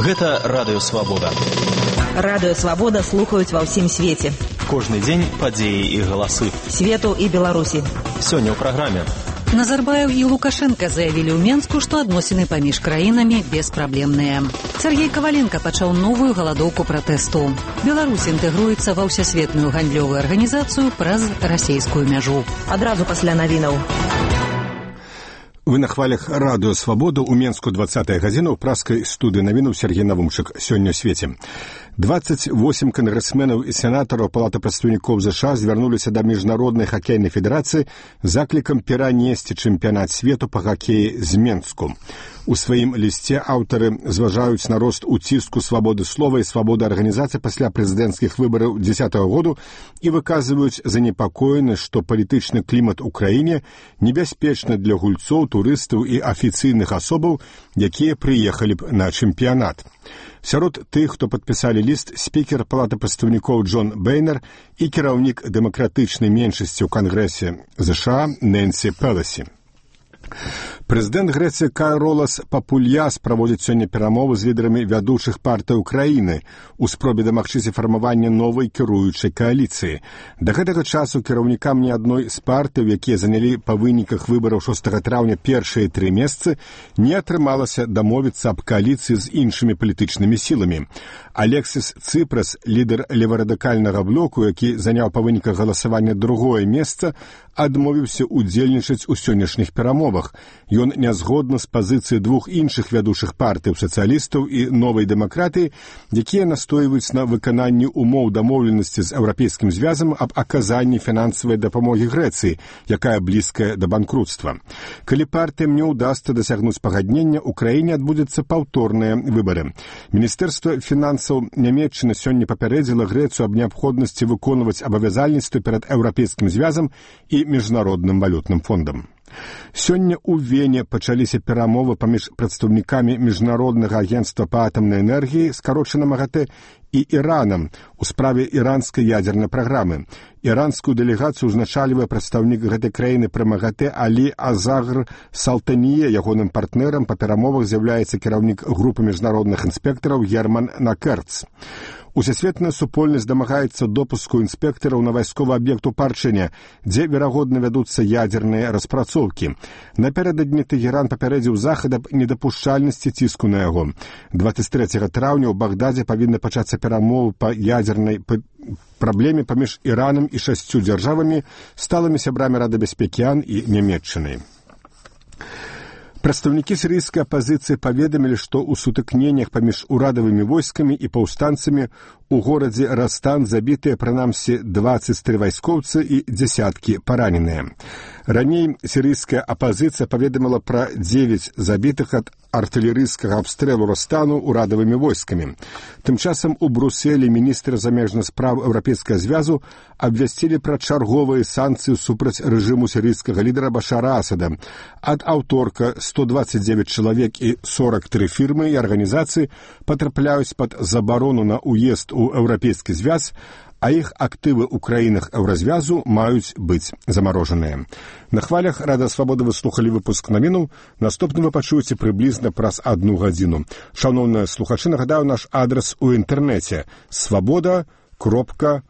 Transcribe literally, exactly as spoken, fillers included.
Гэта Радыё Свабода. Радыё Свабода слухаюць ва ўсім свеце. Кожны дзень падзеі і галасы. Свету і Беларусі. Сёння ў праграме. Назарбаев і Лукашенко заявілі ў Менску, што адносіны паміж краінамі беспраблемныя. Сергей Коваленко пачаў новую галадоўку пратэсту. Беларусь інтэгруецца ва ўсесветную гандлёвую арганізацыю праз расейскую мяжу. Адразу пасля навінаў. Вы на хвалях Радыё Свабода ў Менску двадцатая гадзіна ў праскай студыі навінаў Сергей Навумчык. Сёння ў свеце. двадцать восемь кангрэсменаў і сенатараў Палаты прадстаўнікоў ЗША звярнуліся да міжнароднай хакейнай федэрацыі з заклікам перанесці чэмпіянат свету па хакеі з Менску. У сваім лісце аўтары зважаюць на рост уціску свабоды слова і свабоды арганізацыі пасля прэзідэнцкіх выбараў дзесятага году і выказваюць занепакоенасць, што палітычны клімат у краіне небяспечны для гульцоў, турыстаў і афіцыйных асобаў, якія прыехалі б на чэмпіянат. Сярод тых, хто падпісалі ліст, спікер Палаты прадстаўнікоў Джон Бейнер і кіраўнік дэмакратычнай меншасці ў Кангрэсе ЗША Нэнсі Пеласі. Прэзідэнт Грэцыі Каролас Папульяс праводзіць сёння перамовы з лідарамі вядучых партый Украіны у спробе дамагчыся фармавання новай кіруючай кааліцыі. Да гэтага часу кіраўнікам ні адной з партый, якія занялі па выніках выбараў шостага траўня першыя тры месцы, не атрымалася дамовіцца аб кааліцыі з іншымі палітычнымі сіламі. Алексіс Цыпрас, лідар леварадыкальнага блоку, які заняў па выніках галасавання другое месца, адмовіўся удзельнічаць у сённяшніх перамовах. Ён нязгодны з пазіцыі двух іншых вядучых партый, сацыялістаў і новай дэмакратыі, якія настойваюць на выкананні умоў дамоўленасці з Еўрапейскім звязам аб аказанні фінансавай дапамогі Грэцыі, якая блізкая да банкрутства. Калі партыям не ўдасца дасягнуць пагаднення, у краіне адбудзецца паўторныя выбары. Міністэрства фінансаў Нямецчыны сёння папярэдзіла Грэцыю аб неабходнасці выконваць абавязальніцтвы перад Еўрапейскім звязам і міжнародным валютным фондам. Сёння ў Вене пачаліся перамовы паміж прадстаўнікамі міжнароднага агенцтва па атамнай энергіі, скарочана МАГАТЭ, і Іранам у справе іранскай ядзернай праграмы. Іранскую дэлегацыю узначальвае прадстаўнік гэтай краіны пры МАГАТЭ Алі Азагр Салтанье. Ягоным партнерам па перамовах з'яўляецца кіраўнік групы міжнародных інспектараў Герман Накерц. Усесветная супольнасць дамагаецца допуску інспектараў на вайсковы аб'ект у Парчыне, дзе, верагодна, вядуцца ядзерныя распрацоўкі. Напярэдадні Тэгеран папярэдзіў захад аб недапушчальнасці ціску на яго. двадцать трэцяга траўня ў Багдадзе павінны пачацца перамовы па ядзернай праблеме паміж Іранам і шасцю дзяржавамі, сталымі сябрамі Рады бяспекі АН і Нямецчынай. Прадстаўнікі сірыйскай апазіцыі паведамілі, што ў сутыкненнях паміж урадавымі войскамі і паўстанцамі у горадзе Растан забітыя прынамсі дваццаць тры вайскоўцы і дзясяткі параненыя. Раней сірыйская апазіцыя паведаміла пра дзевяць забітых ад артылерыйскага абстрэлу Растану урадавымі войскамі. Тым часам у Брусэлі міністры замежных спраў Еўрапейскага звязу абвясцілі пра чарговыя санкцыі супраць рэжыму сірыйскага лідара Башара Асада. Ад аўторка сто двадцать девять чалавек і сорок тры фірмы і арганізацыі патрапляюць пад забарону на ўезд у Еўрапейскі звяз, а іх актывы ў краінах Еўразвязу маюць быць замарожаныя. На хвалях Радыё Свабода вы слухалі выпуск навінаў. Наступны вы пачуеце прыблізна праз адну гадзіну. Шановныя слухачы, нагадаю наш адрас у інтэрнэце свабода кропка